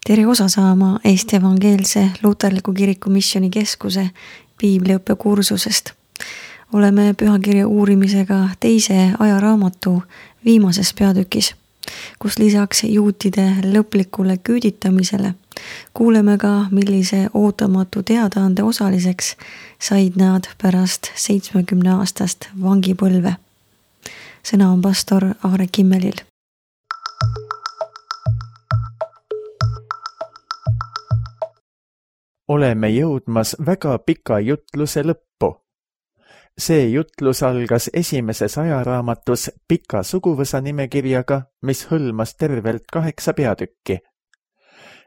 Tere osa saama Eesti Evangeelse Luterliku Kiriku Missioonikeskuse piibliõppe kursusest. Oleme pühakirja uurimisega teise ajaraamatu viimases peatükis, kus lisaks juutide lõplikule küüditamisele kuuleme ka, millise ootamatu teadaande osaliseks said nad pärast 70-aastast vangipõlve. Sõna on pastor Aare Kimmelil. Oleme jõudmas väga pika jutluse lõppu. See jutlus algas esimeses ajaraamatus pika suguvõsa nimekirjaga, mis hõlmas tervelt 8 peatükki.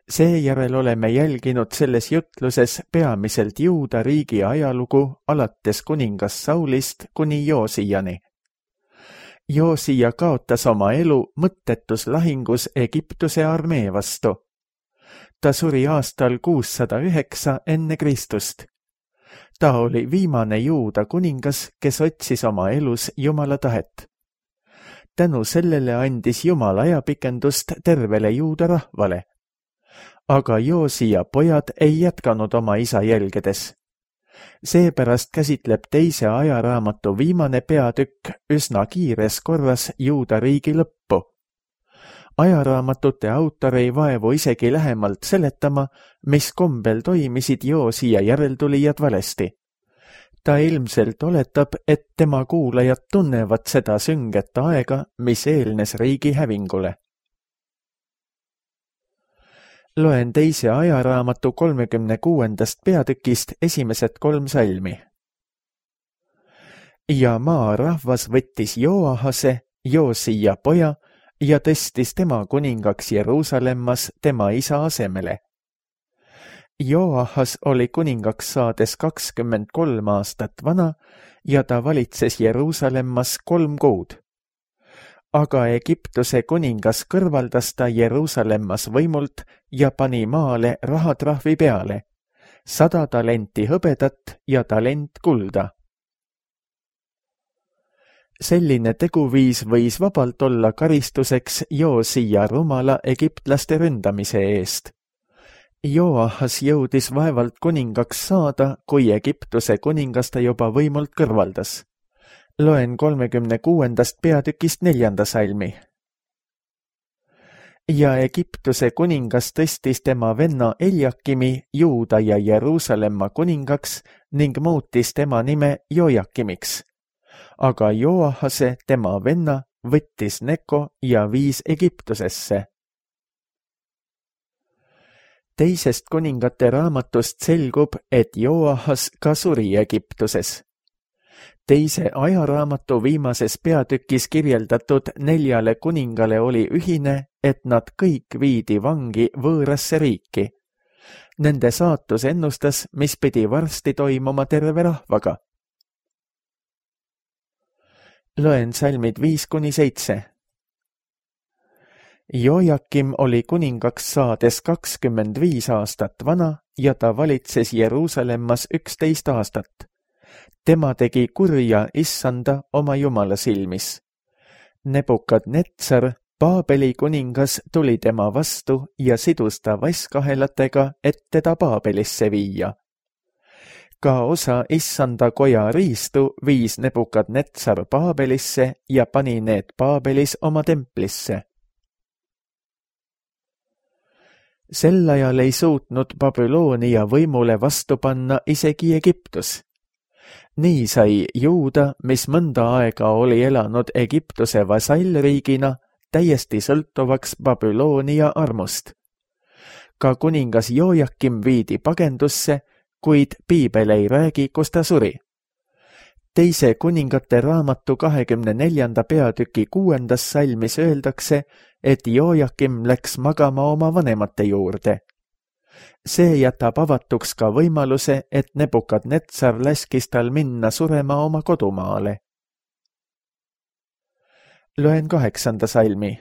Seejärel oleme jälginud selles jutluses peamiselt Juuda riigi ajalugu alates kuningas Saulist kuni Joosijani. Joosija kaotas oma elu mõttetus lahingus Egiptuse armee vastu. Ta suri aastal 609 enne Kristust. Ta oli viimane Juuda kuningas, kes otsis oma elus Jumala tahet. Tänu sellele andis Jumal ajapikendust tervele Juuda rahvale. Aga Joosija pojad ei jätkanud oma isa jälgedes. Seepärast käsitleb teise ajaraamatu viimane peatükk üsna kiires korras Juuda riigi lõppu. Ajaraamatute autor ei vaevu isegi lähemalt seletama, mis kombel toimisid Joosija järeltulijad valesti. Ta ilmselt oletab, et tema kuulajad tunnevad seda sünget aega, mis eelnes riigi hävingule. Loen teise ajaraamatu 36. peatükist esimesed 3 salmi. Ja maarahvas võttis Joahase, Joosija poja, ja tõstis tema kuningaks Jeruusalemmas tema isa asemele. Joahas oli kuningaks saades 23 aastat vana ja ta valitses Jeruusalemmas 3 kuud. Aga Egiptuse kuningas kõrvaldas ta Jeruusalemmas võimult ja pani maale rahatrahvi peale, 100 talenti hõbedat ja talent kulda. Selline teguviis võis vabalt olla karistuseks Joosija rumala egiptlaste ründamise eest. Joahas jõudis vaevalt kuningaks saada, kui Egiptuse kuningas ta juba võimult kõrvaldas. Loen 36. peatükist 4. salmi. Ja Egiptuse kuningas tõstis tema venna Eljakimi Juuda ja Jeruusalemma kuningaks ning muutis tema nime Jojakimiks. Aga Joahase, tema venna, võttis Neko ja viis Egiptusesse. Teisest kuningate raamatust selgub, et Joahas ka suri Egiptuses. Teise ajaraamatu viimases peatükis kirjeldatud 4 kuningale oli ühine, et nad kõik viidi vangi võõrasse riiki. Nende saatus ennustas, mis pidi varsti toimuma terve rahvaga. Loen salmid 5-7. Jojakim oli kuningaks saades 25 aastat vana ja ta valitses Jeruusalemmas 11 aastat. Tema tegi kurja Issanda oma Jumala silmis. Nebukadnetsar, Paabeli kuningas, tuli tema vastu ja sidus ta vaskahelatega, et teda Paabelisse viia. Ka osa Issanda koja riistu viis Nebukadnetsar Paabelisse ja pani need Paabelis oma templisse. Sel ajal ei suutnud Babyloonia võimule vastu panna isegi Egiptus. Nii sai Juuda, mis mõnda aega oli elanud Egiptuse vasallriigina, täiesti sõltuvaks Babyloonia armust. Ka kuningas Jojakim viidi pagendusse, kuid piibel ei räägi, kus ta suri. Teise kuningate raamatu 24. peatüki 6. salmis öeldakse, et Jojakim läks magama oma vanemate juurde. See jätab avatuks ka võimaluse, et Nebukadnetsar laskis tal minna surema oma kodumaale. Loen 8. salmi.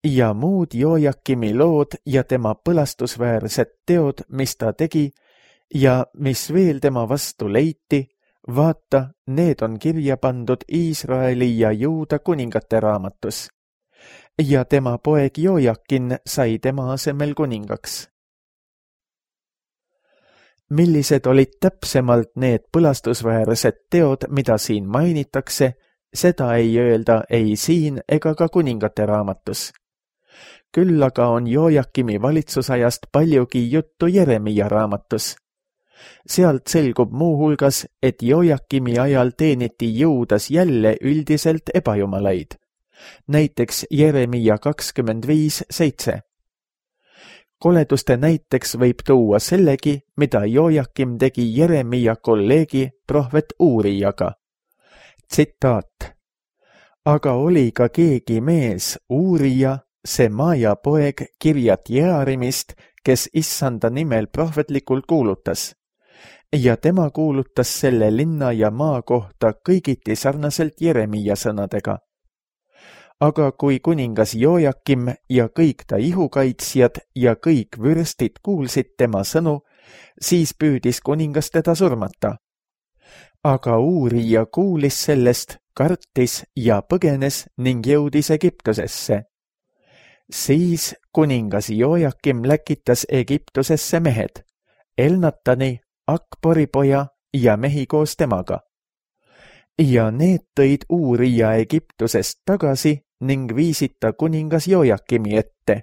Ja muud Jojakimi lood ja tema põlastusväärsed teod, mis ta tegi ja mis veel tema vastu leiti, vaata, need on kirja pandud Iisraeli ja Juuda kuningate raamatus. ja tema poeg Jojakin sai tema asemel kuningaks. Millised olid täpsemalt need põlastusväärsed teod, mida siin mainitakse, seda ei öelda ei siin ega ka kuningate raamatus. Küll aga on Jojakimi valitsusajast paljugi juttu Jeremia raamatus. Sealt selgub muuhulgas, et Jojakimi ajal teeniti Juudas jälle üldiselt ebajumalaid. Näiteks Jeremia 25:7. Koleduste näiteks võib tuua sellegi, mida Jojakim tegi Jeremia kolleegi prohvet Uurijaga. Tsitaat. Aga oli ka keegi mees, Uurija, Semaja poeg Kirjat Jearimist, kes issanda nimel prohvetlikult kuulutas. Ja tema kuulutas selle linna ja maa kohta kõigiti sarnaselt Jeremia sõnadega. Aga kui kuningas Jojakim ja kõik ta ihukaitsjad ja kõik vürstid kuulsid tema sõnu, siis püüdis kuningas teda surmata. Aga Uurija kuulis sellest, kartis ja põgenes ning jõudis Egiptusesse. Siis kuningas Jojakim läkitas Egiptusesse mehed, Elnatani, Akbori poja ja mehi koos temaga. Ja need tõid Uurija Egiptusest tagasi ning viisid ta kuningas Jojakimi ette.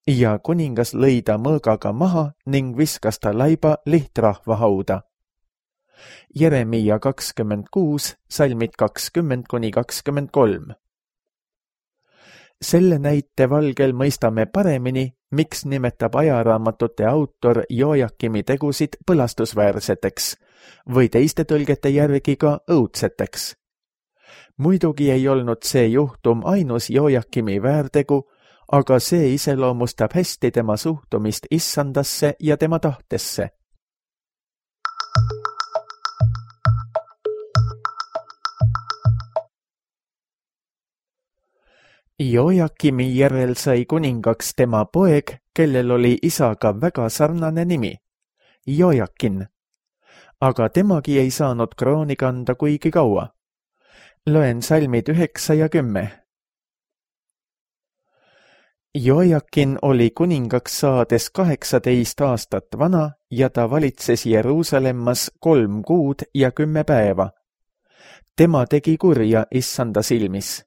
Ja kuningas lõi ta mõõgaga maha ning viskas ta laiba lihtrahva hauda. Jeremia 26, salmid 20-23. Selle näite valgel mõistame paremini, miks nimetab ajaraamatute autor Jojakimi tegusid põlastusväärseteks või teiste tõlgete järgi ka õudseteks. Muidugi ei olnud see juhtum ainus Jojakimi väärtegu, aga see iseloomustab hästi tema suhtumist issandasse ja tema tahtesse. Jojakimi järel sai kuningaks tema poeg, kellel oli isaga väga sarnane nimi, Jojakin. Aga temagi ei saanud krooni kanda kuigi kaua. Loen salmid 9 ja 10. Jojakin oli kuningaks saades 18 aastat vana ja ta valitses Jeruusalemmas 3 kuud ja 10 päeva. Tema tegi kurja issanda silmis.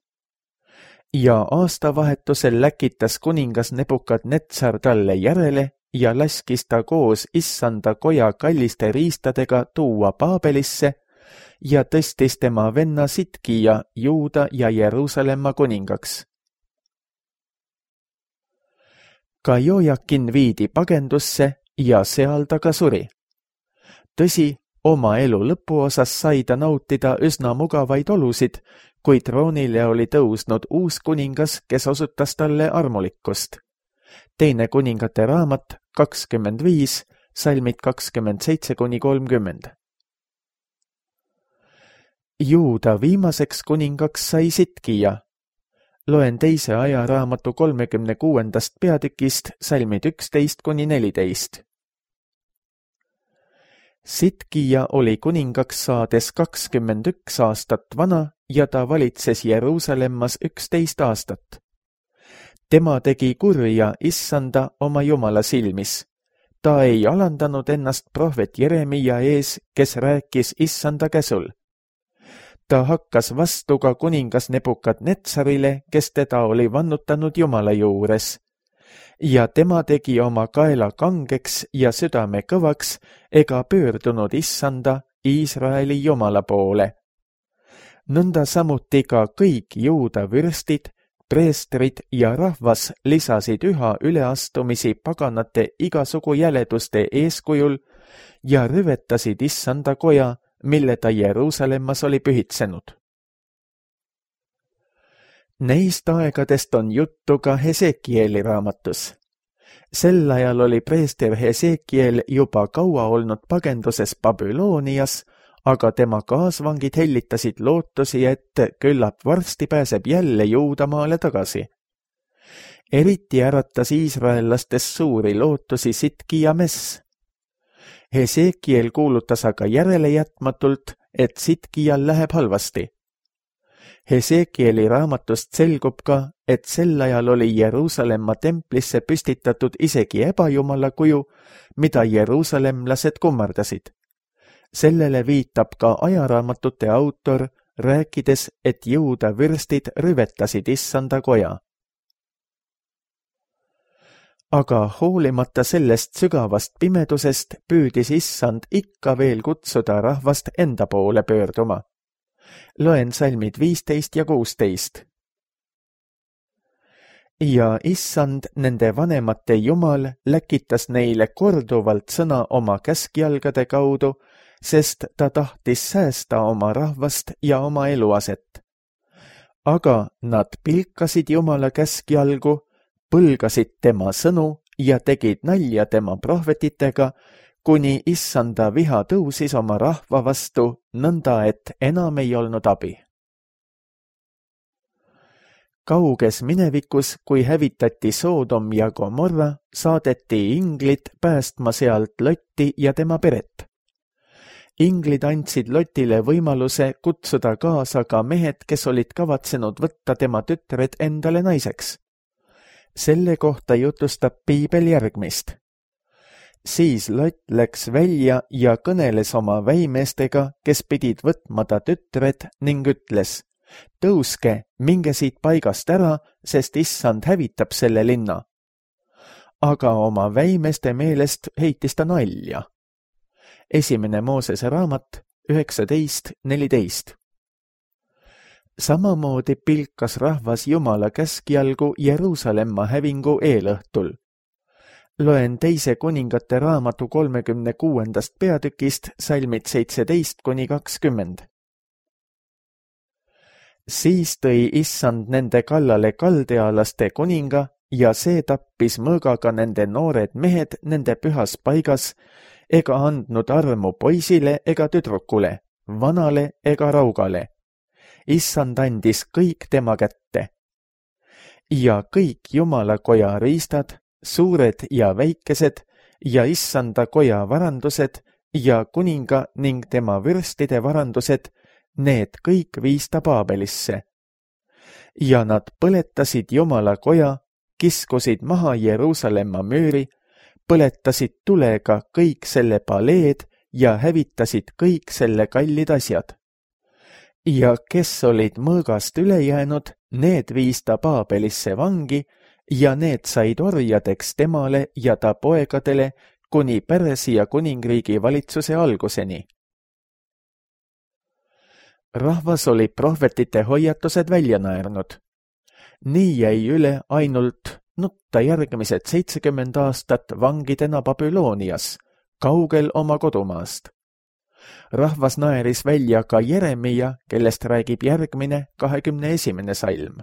Ja aastavahetusel läkitas kuningas Nebukadnetsar talle järele ja laskis ta koos issanda koja kalliste riistadega tuua Paabelisse ja tõstis tema venna Sitkija Juuda ja Jeruusalemma kuningaks. Ka Jojakin viidi pagendusse ja seal ta ka suri. Tõsi, oma elu lõpuosas sai ta nautida üsna mugavaid olusid, kui troonile oli tõusnud uus kuningas, kes osutas talle armulikkust. Teine kuningate raamat 25, salmid 27-30. Juuda viimaseks kuningaks sai Sitkija. Loen teise ajaraamatu 36. peatükist salmid 11-14. Sitkija oli kuningaks saades 21 aastat vana ja ta valitses Jeruusalemmas 11 aastat. Tema tegi kurja issanda oma Jumala silmis. Ta ei alandanud ennast prohvet Jeremia ees, kes rääkis issanda käsul. Ta hakkas vastu ka kuningas Nebukadnetsarile, kes teda oli vannutanud Jumala juures. Ja tema tegi oma kaela kangeks ja südame kõvaks ega pöördunud issanda Iisraeli Jumala poole. Nõnda samuti ka kõik Juuda vürstid, preestrid ja rahvas lisasid üha üleastumisi paganate igasugu jäleduste eeskujul ja rüvetasid issanda koja, mille ta Jeruusalemmas oli pühitsenud. Neist aegadest on juttu ka Hesekieli raamatus. Sel ajal oli preester Hesekiel juba kaua olnud pagenduses Babylonias, aga tema kaasvangid hellitasid lootusi, et küllap varsti pääseb jälle Juudamaale tagasi. Eriti äratas iisraellastes suuri lootusi Sitkija mess. Hesekiel kuulutas aga järelejätmatult, et Sitkijal läheb halvasti. Hesekieli raamatust selgub ka, et sel ajal oli Jeruusalemma templisse püstitatud isegi ebajumala kuju, mida jeruusalemlased kummardasid. Sellele viitab ka ajaraamatute autor, rääkides, et Juuda vürstid rüvetasid Issanda koja. Aga hoolimata sellest sügavast pimedusest püüdis Issand ikka veel kutsuda rahvast enda poole pöörduma. Loen salmid 15 ja 16. Ja Issand, nende vanemate Jumal, läkitas neile korduvalt sõna oma käskjalgade kaudu, sest ta tahtis säästa oma rahvast ja oma eluaset. Aga nad pilkasid Jumala käskjalgu, põlgasid tema sõnu ja tegid nalja tema prohvetitega, kuni Issanda viha tõusis oma rahva vastu, nõnda et enam ei olnud abi. Kauges minevikus, kui hävitati Soodom ja Gomorra, saadeti inglid päästma sealt Lotti ja tema peret. Inglid andsid Lotile võimaluse kutsuda kaasa ka mehed, kes olid kavatsenud võtta tema tütred endale naiseks. Selle kohta jutustab piibel järgmist. Siis Lot läks välja ja kõneles oma väimeestega, kes pidid võtma ta tütred ning ütles: tõuske, minge siit paigast ära, sest Issand hävitab selle linna. Aga oma väimeeste meelest heitis ta nalja. Esimene Moosese raamat 19:14. Samamoodi pilkas rahvas Jumala käskjalgu Jeruusalemma hävingu eelõhtul. Loen teise kuningate raamatu 36. peatükist salmid 17-20. Siis tõi Issand nende kallale kaldealaste kuninga ja see tappis mõõgaga nende noored mehed nende pühas paigas ega andnud armu poisile ega tüdrukule, vanale ega raugale. Issand andis kõik tema kätte. Ja kõik Jumala koja riistad, suured ja väikesed ja Issanda koja varandused ja kuninga ning tema vürstide varandused, need kõik viis ta Paabelisse. Ja nad põletasid Jumala koja, kiskusid maha Jeruusalemma müüri, põletasid tulega kõik selle paleed ja hävitasid kõik selle kallid asjad. Ja kes olid mõõgast üle jäänud, need viis ta Paabelisse vangi ja need said orjadeks temale ja ta poegadele kuni Persia kuningriigi valitsuse alguseni. Rahvas oli prohvetite hoiatused välja naernud. Nii jäi üle ainult nutta järgmised 70 aastat vangidena Babylonias, kaugel oma kodumaast. Rahvas naeris välja ka Jeremia, kellest räägib järgmine 21. salm.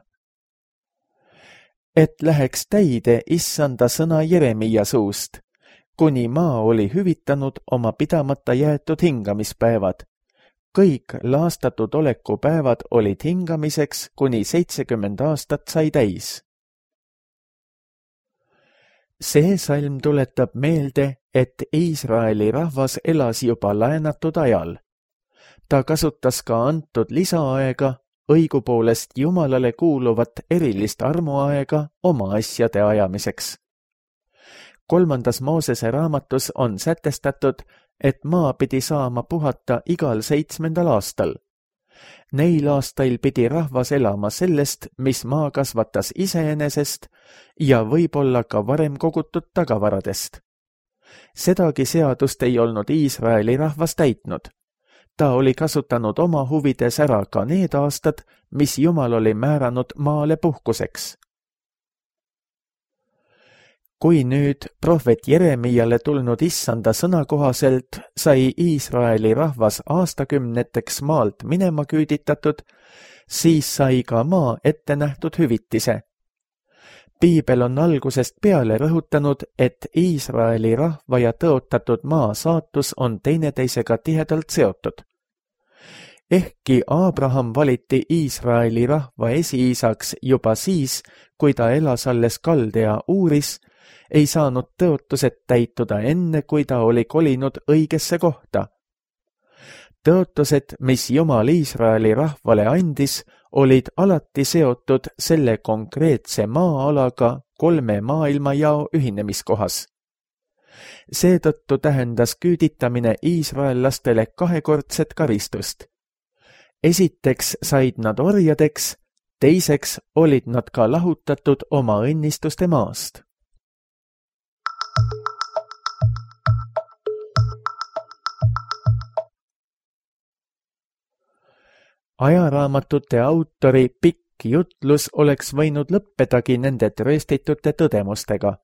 Et läheks täide Issanda sõna Jeremia suust, kuni maa oli hüvitanud oma pidamata jäetud hingamispäevad. Kõik laastatud olekupäevad olid hingamiseks, kuni 70 aastat sai täis. See salm tuletab meelde, et Iisraeli rahvas elas juba laenatud ajal. Ta kasutas ka antud lisaaega, õigupoolest Jumalale kuuluvat erilist armuaega oma asjade ajamiseks. 3. Moosese raamatus on sätestatud, et maa pidi saama puhata igal 7. aastal. Neil aastail pidi rahvas elama sellest, mis maa kasvatas iseenesest ja võib-olla ka varem kogutud tagavaradest. Sedagi seadust ei olnud Iisraeli rahvas täitnud. Ta oli kasutanud oma huvides ära ka need aastad, mis Jumal oli määranud maale puhkuseks. Kui nüüd prohvet Jeremiale tulnud Issanda sõna kohaselt sai Iisraeli rahvas aastakümneteks maalt minema küüditatud, siis sai ka maa ette nähtud hüvitise. Piibel on algusest peale rõhutanud, et Iisraeli rahva ja tõotatud maa saatus on teineteisega tihedalt seotud. Ehkki Abraham valiti Iisraeli rahva esiisaks juba siis, kui ta elas alles Kaldea Uuris, ei saanud tõotused täituda enne, kui ta oli kolinud õigesse kohta. Tõotused, mis Jumal Iisraeli rahvale andis, olid alati seotud selle konkreetse maa-alaga 3 maailmajao ühinemiskohas. Seetõttu tähendas küüditamine iisraellastele 2-kordset karistust. Esiteks said nad orjadeks, teiseks olid nad ka lahutatud oma õnnistuste maast. Ajaraamatute autori pikk jutlus oleks võinud lõppedagi nende trööstitute tõdemustega.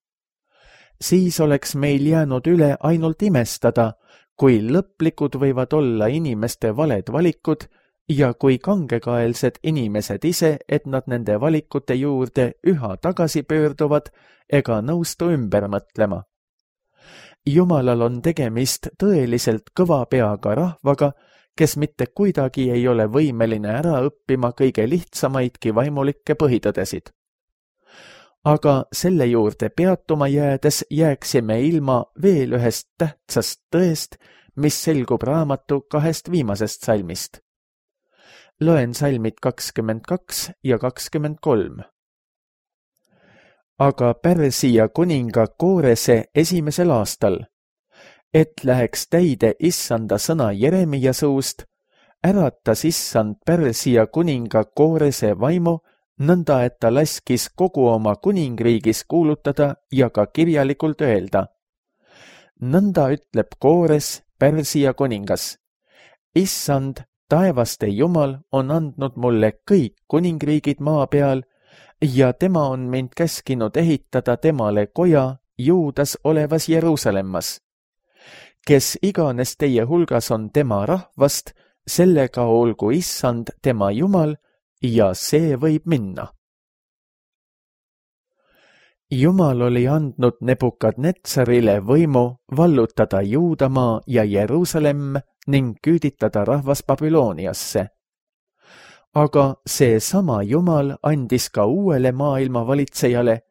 Siis oleks meil jäänud üle ainult imestada, kui lõplikud võivad olla inimeste valed valikud ja kui kangekaelsed inimesed ise, et nad nende valikute juurde üha tagasi pöörduvad ega nõustu ümber mõtlema. Jumalal on tegemist tõeliselt kõva peaga rahvaga, kes mitte kuidagi ei ole võimeline ära õppima kõige lihtsamaidki vaimulikke põhitõdesid. Aga selle juurde peatuma jäädes jääksime ilma veel ühest tähtsast tõest, mis selgub raamatu 2 viimasest salmist. Loen salmid 22 ja 23. Aga Pärsia kuninga Koorese 1. aastal, et läheks täide issanda sõna Jeremia suust, äratas issand Pärsia kuninga Koorese vaimu, nõnda et ta laskis kogu oma kuningriigis kuulutada ja ka kirjalikult öelda. Nõnda ütleb Koores, Pärsia kuningas. Issand, taevaste Jumal on andnud mulle kõik kuningriigid maa peal ja tema on mind käskinud ehitada temale koja Juudas olevas Jeruusalemmas. Kes iganes teie hulgas on tema rahvast, sellega olgu issand tema Jumal ja see võib minna. Jumal oli andnud Nebukadnetsarile võimu vallutada Juudamaa ja Jeruusalemm ning küüditada rahvas Babyloniasse. Aga see sama Jumal andis ka uuele maailma valitsejale,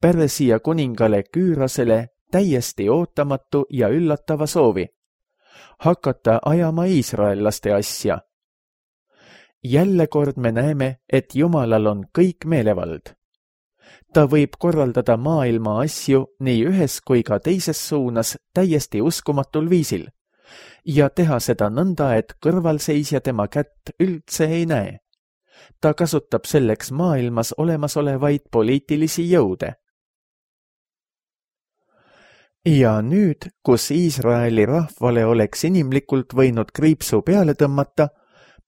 Pärsia kuningale Küürosele täiesti ootamatu ja üllatava soovi hakata ajama iisraellaste asja. Jälle kord me näeme, et Jumalal on kõik meelevald. Ta võib korraldada maailma asju nii ühes kui ka teises suunas täiesti uskumatul viisil ja teha seda nõnda, et kõrvalseisja tema kätt üldse ei näe. Ta kasutab selleks maailmas olemasolevaid poliitilisi jõude. Ja nüüd, kus Iisraeli rahvale oleks inimlikult võinud kriipsu peale tõmmata,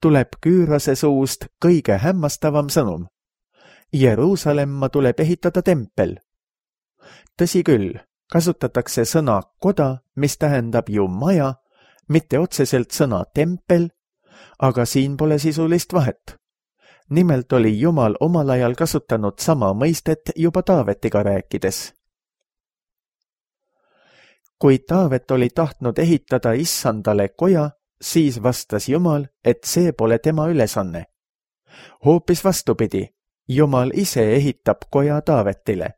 tuleb Küürose suust kõige hämmastavam sõnum. Jeruusalemma tuleb ehitada tempel. Tõsi küll, kasutatakse sõna koda, mis tähendab ju maja, mitte otseselt sõna tempel, aga siin pole sisulist vahet. Nimelt oli Jumal omal ajal kasutanud sama mõistet juba Taavetiga rääkides. Kui Taavet oli tahtnud ehitada issandale koja, siis vastas Jumal, et see pole tema ülesanne. Hoopis vastupidi, Jumal ise ehitab koja Taavetile.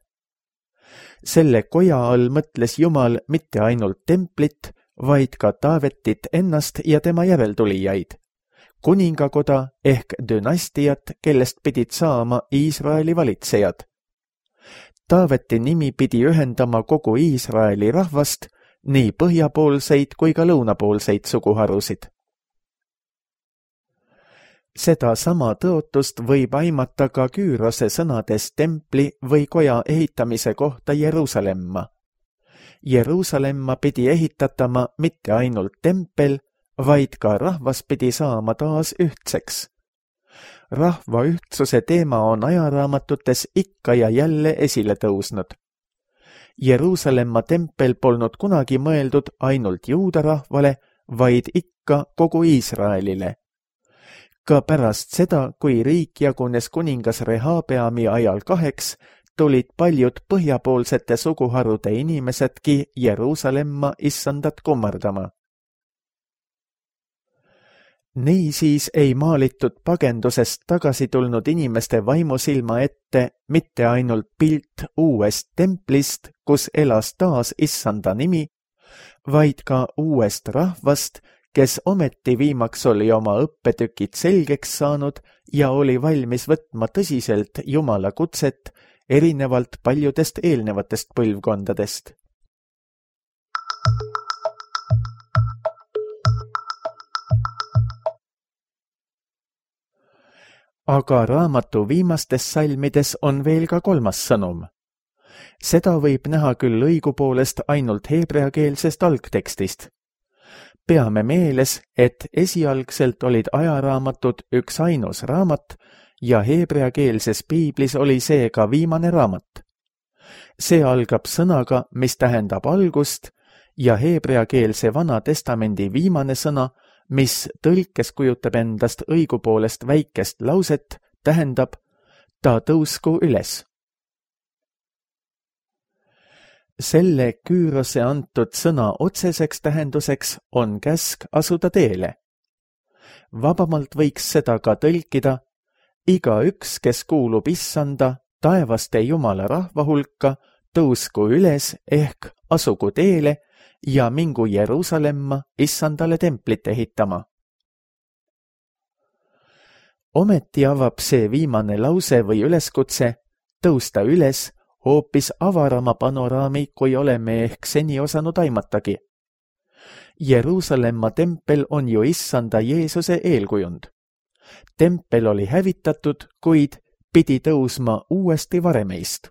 Selle koja all mõtles Jumal mitte ainult templit, vaid ka Taavetit ennast ja tema järeltulijaid, kuningakoda ehk dünastiat, kellest pidid saama Iisraeli valitsejad. Taaveti nimi pidi ühendama kogu Iisraeli rahvast, nii põhjapoolseid kui ka lõunapoolseid suguharusid. Seda sama tõotust võib aimata ka Küürose sõnades templi või koja ehitamise kohta Jeruusalemma. Jeruusalemma pidi ehitatama mitte ainult tempel, vaid ka rahvas pidi saama taas ühtseks. Rahva ühtsuse teema on ajaraamatutes ikka ja jälle esile tõusnud. Jeruusalemma tempel polnud kunagi mõeldud ainult juuda rahvale, vaid ikka kogu Iisraelile. Ka pärast seda, kui riik jagunes kuningas Rehabeami ajal 2, tulid paljud põhjapoolsete suguharude inimesedki Jeruusalemma issandat kummardama. Niisiis ei maalitud pagendusest tagasi tulnud inimeste vaimusilma ette mitte ainult pilt uuest templist, kus elas taas issanda nimi, vaid ka uuest rahvast, kes ometi viimaks oli oma õppetükid selgeks saanud ja oli valmis võtma tõsiselt Jumala kutset erinevalt paljudest eelnevatest põlvkondadest. Aga raamatu viimastes salmides on veel ka kolmas sõnum. Seda võib näha küll õigupoolest ainult heebreakeelsest algtekstist. Peame meeles, et esialgselt olid ajaraamatud üks ainus raamat ja heebreakeelses piiblis oli see ka viimane raamat. See algab sõnaga, mis tähendab algust ja heebreakeelse Vana Testamendi viimane sõna, mis tõlkes kujutab endast õigupoolest väikest lauset, tähendab ta tõusku üles. Selle küürose antud sõna otseseks tähenduseks on käsk asuda teele. Vabamalt võiks seda ka tõlkida: igaüks, kes kuulub Issanda, taevaste Jumala rahva hulka, tõusku üles ehk asugu teele ja mingu Jeruusalemma Issandale templit ehitama. Ometi avab see viimane lause või üleskutse tõusta üles hoopis avarama panoraami, kui oleme ehk seni osanud aimatagi. Jeruusalemma tempel on ju Issanda Jeesuse eelkujund. Tempel oli hävitatud, kuid pidi tõusma uuesti varemeist.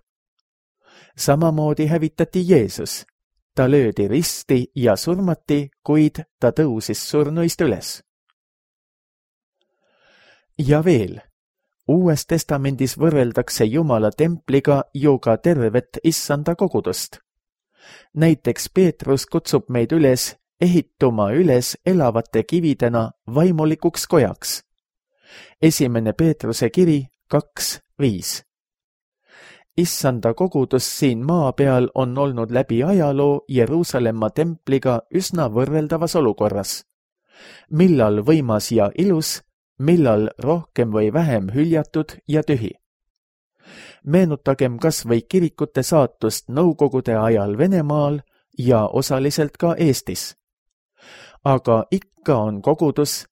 Samamoodi hävitati Jeesus. Ta löödi risti ja surmati, kuid ta tõusis surnuist üles. Ja veel, Uues testamendis võrreldakse Jumala templiga ju ka tervet Issanda kogudust. Näiteks Peetrus kutsub meid üles ehituma üles elavate kividena vaimulikuks kojaks. 1. Peetruse kiri 2:5. Issanda kogudus siin maa peal on olnud läbi ajaloo Jeruusalemma templiga üsna võrreldavas olukorras. Millal võimas ja ilus, millal rohkem või vähem hüljatud ja tühi. Meenutagem kas või kirikute saatust Nõukogude ajal Venemaal ja osaliselt ka Eestis. Aga ikka on kogudus,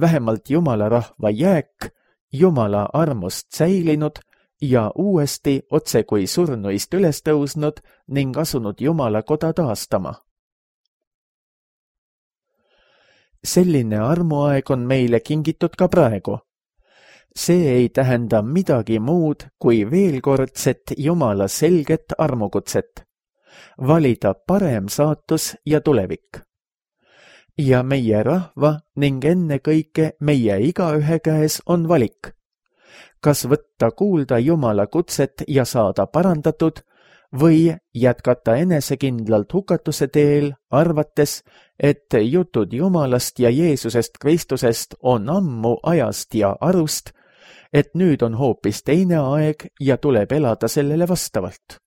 vähemalt Jumala rahva jääk, Jumala armust säilinud ja uuesti otse kui surnuist üles tõusnud ning asunud Jumala koda taastama. Selline armuaeg on meile kingitud ka praegu. See ei tähenda midagi muud kui veelkordset Jumala selget armukutset. Valida parem saatus ja tulevik. Ja meie rahva ning ennekõike meie igaühe käes on valik. Kas võtta kuulda Jumala kutset ja saada parandatud või jätkata enesekindlalt hukatuse teel, arvates, et jutud Jumalast ja Jeesusest Kristusest on ammu ajast ja arust, et nüüd on hoopis teine aeg ja tuleb elada sellele vastavalt.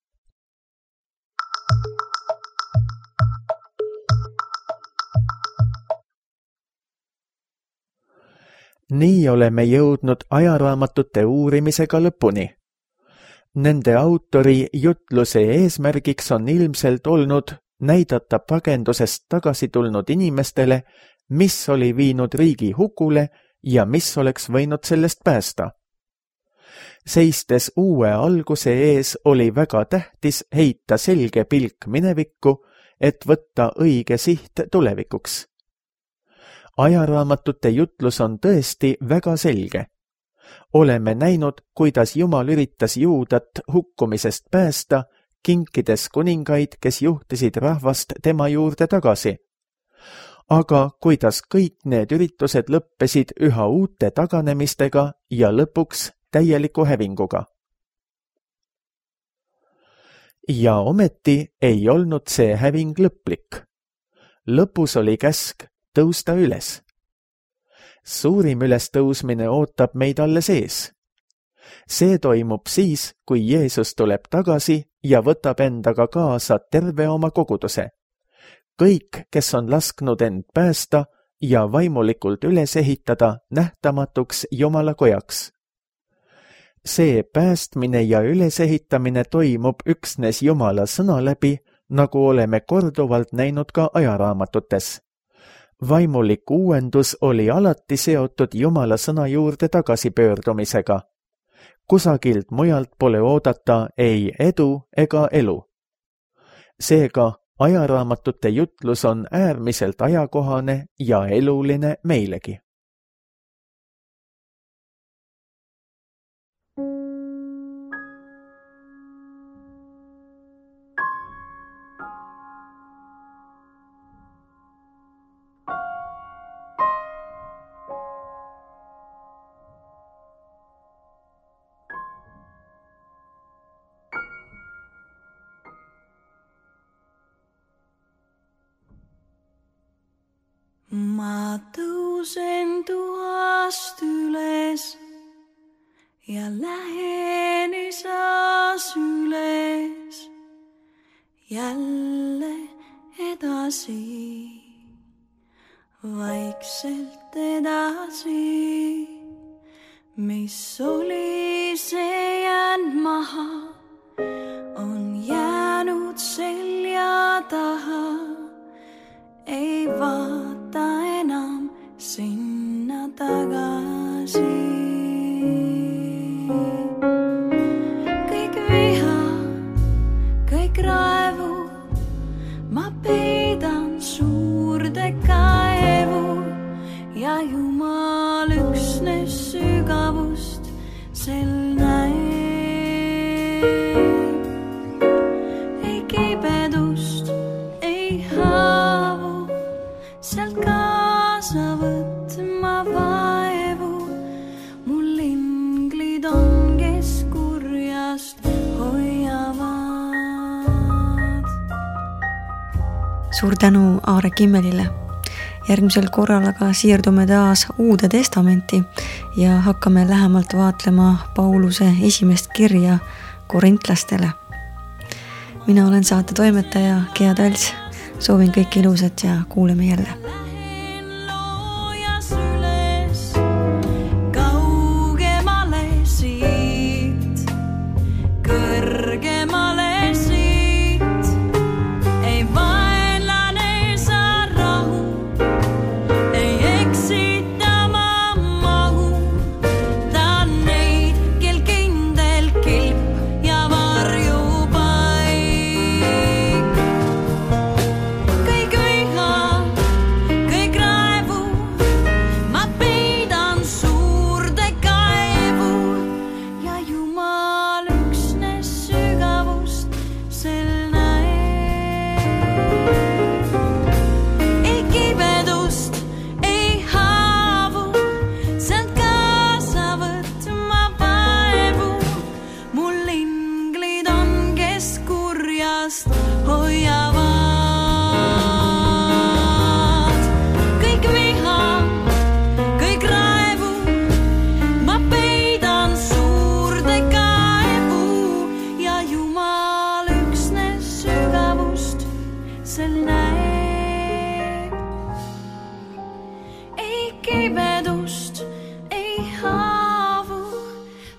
Nii oleme jõudnud ajaraamatute uurimisega lõpuni. Nende autori jutluse eesmärgiks on ilmselt olnud näidata pagendusest tagasi tulnud inimestele, mis oli viinud riigi hukule ja mis oleks võinud sellest päästa. Seistes uue alguse ees oli väga tähtis heita selge pilk minevikku, et võtta õige siht tulevikuks. Ajaraamatute jutlus on tõesti väga selge. Oleme näinud, kuidas Jumal üritas Juudat hukkumisest päästa, kinkides kuningaid, kes juhtisid rahvast tema juurde tagasi. Aga kuidas kõik need üritused lõppesid üha uute taganemistega ja lõpuks täieliku hävinguga. Ja ometi ei olnud see häving lõplik. Lõpus oli käsk tõusta üles. Suurim ülestõusmine ootab meid alles ees. See toimub siis, kui Jeesus tuleb tagasi ja võtab endaga kaasa terve oma koguduse. Kõik, kes on lasknud end päästa ja vaimulikult üles ehitada nähtamatuks Jumala kojaks. See päästmine ja ülesehitamine toimub üksnes Jumala sõna läbi, nagu oleme korduvalt näinud ka ajaraamatutes. Vaimulik uuendus oli alati seotud Jumala sõna juurde tagasipöördumisega. Kusagilt mujalt pole oodata ei edu ega elu. Seega ajaraamatute jutlus on äärmiselt ajakohane ja eluline meilegi. Ma tõusen tuhast üles ja lähen isas üles jälle edasi, vaikselt edasi, mis oli see jäänud maha, on jäänud selja taha, ei vaata enam sinna tagasi. Kõik viha, kõik raevu, ma peidan suurde kaevu ja Jumal üksnes sügavust sel näeb. Ei kibedust, ei haavu, sealt kaasa võtma vaevu. Mul inglid on, kes kurjast hoiavad. Suur tänu Aare Kimmelile. Järgmisel korral aga siirdume taas Uude Testamenti ja hakkame lähemalt vaatlema Pauluse esimest kirja korintlastele. Mina olen saate toimetaja Gea Talts. Soovin kõik ilusat ja kuuleme jälle.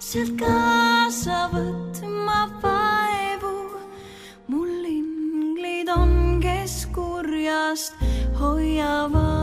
Sealt kaasa võtma vaevu, mul inglid on, kes kurjast hoiavad.